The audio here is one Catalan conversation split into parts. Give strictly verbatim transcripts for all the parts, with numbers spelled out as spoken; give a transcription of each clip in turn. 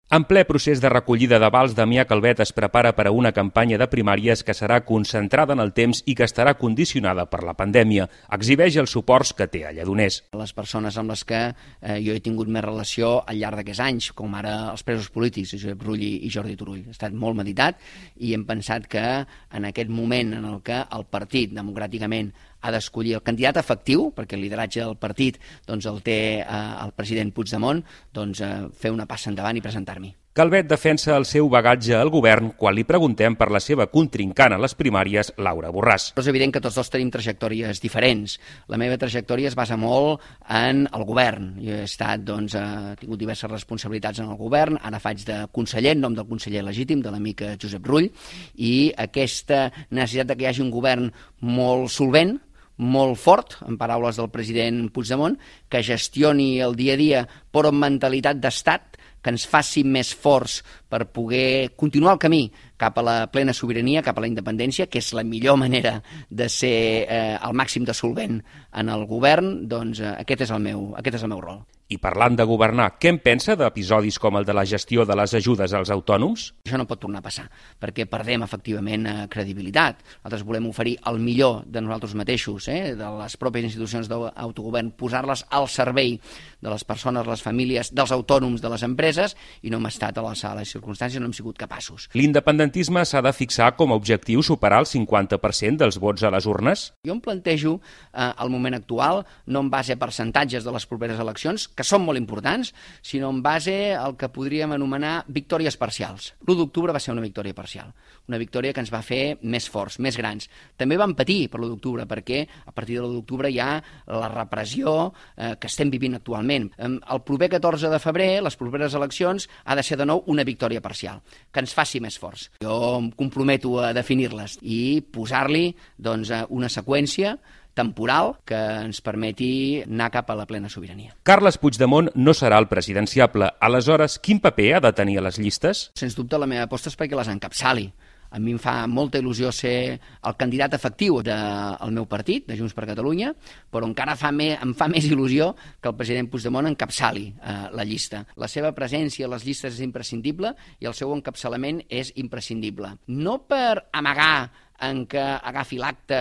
En ple procés de recollida d'avals, Damià Calvet es prepara per a una campanya de primàries que serà concentrada en el temps i que estarà condicionada per la pandèmia. Exhibeix els suports que té a Lledoners. Les persones amb les que eh, jo he tingut més relació al llarg d'aquests anys, com ara els presos polítics, Josep Rull i Jordi Turull. Ha estat molt meditat i hem pensat que en aquest moment en el que el partit democràticament ha d'escollir el candidat efectiu, perquè el lideratge del partit doncs, el té eh, el president Puigdemont, doncs, eh, fer una passa endavant i presentar-m'hi. Calvet defensa el seu bagatge al govern quan li preguntem per la seva contrincant a les primàries, Laura Borràs. És evident que tots dos tenim trajectòries diferents. La meva trajectòria es basa molt en el govern. Jo he estat, doncs, he tingut diverses responsabilitats en el govern, ara faig de conseller, en nom del conseller legítim, de l'amic Josep Rull, i aquesta necessitat de que hi hagi un govern molt solvent, molt fort, en paraules del president Puigdemont, que gestioni el dia a dia però amb mentalitat d'estat, que ens faci més forts per poder continuar el camí cap a la plena sobirania, cap a la independència, que és la millor manera de ser eh, el màxim de solvent en el govern, doncs eh, aquest és el meu, aquest és el meu rol. I parlant de governar, què en pensa d'episodis com el de la gestió de les ajudes als autònoms? Això no pot tornar a passar, perquè perdem efectivament eh, credibilitat. Nosaltres volem oferir el millor de nosaltres mateixos, eh, de les pròpies institucions d'autogovern, posar-les al servei de les persones, les famílies, dels autònoms, de les empreses, i no hem estat a l'alçada de les circumstàncies, no hem sigut capaços. L'independentisme s'ha de fixar com a objectiu superar el cinquanta per cent dels vots a les urnes? Jo em plantejo eh, el moment actual, no en base a percentatges de les properes eleccions, que són molt importants, sinó en base al que podríem anomenar victòries parcials. l'u d'octubre va ser una victòria parcial, una victòria que ens va fer més forts, més grans. També vam patir per l'u d'octubre, perquè a partir de l'u d'octubre hi ha la repressió eh, que estem vivint actualment. El proper catorze de febrer, les properes eleccions, ha de ser de nou una victòria parcial, que ens faci més forts. Jo em comprometo a definir-les i posar-li doncs, una seqüència temporal que ens permeti anar cap a la plena sobirania. Carles Puigdemont no serà el presidenciable. Aleshores, quin paper ha de tenir a les llistes? Sens dubte, la meva aposta és perquè les encapçali. A mi em fa molta il·lusió ser el candidat efectiu del meu partit, de Junts per Catalunya, però encara fa més, em fa més il·lusió que el president Puigdemont encapçali eh, la llista. La seva presència a les llistes és imprescindible i el seu encapçalament és imprescindible. No per amagar en què agafi l'acte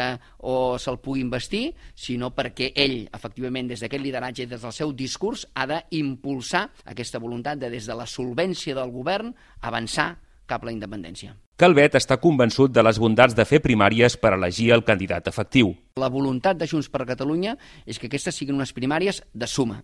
o se'l pugui investir, sinó perquè ell, efectivament, des d'aquest lideratge i des del seu discurs, ha d'impulsar aquesta voluntat de, des de la solvència del govern, avançar cap a la independència. Calvet està convençut de les bondats de fer primàries per elegir el candidat efectiu. La voluntat de Junts per Catalunya és que aquestes siguin unes primàries de suma,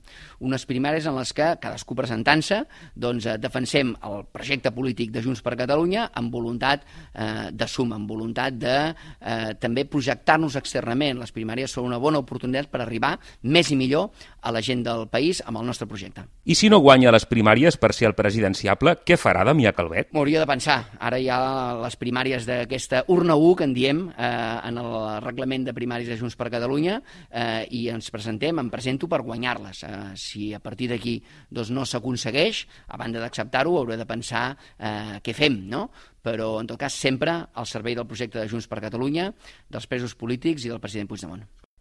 unes primàries en les que, cadascú presentant-se, doncs, defensem el projecte polític de Junts per Catalunya amb voluntat eh, de suma, amb voluntat de eh, també projectar-nos externament. Les primàries són una bona oportunitat per arribar més i millor a la gent del país amb el nostre projecte. I si no guanya les primàries per ser el presidenciable, què farà Damià Calvet? M'hauria de pensar. Ara hi ha les primàries d'aquesta urna u, que en diem, eh, en el reglament de primàries de Junts per Catalunya, eh, i ens presentem, em presento per guanyar-les. Eh, si a partir d'aquí doncs, no s'aconsegueix, a banda d'acceptar-ho, hauré de pensar eh, què fem, no? Però, en tot cas, sempre al servei del projecte de Junts per Catalunya, dels presos polítics i del president Puigdemont.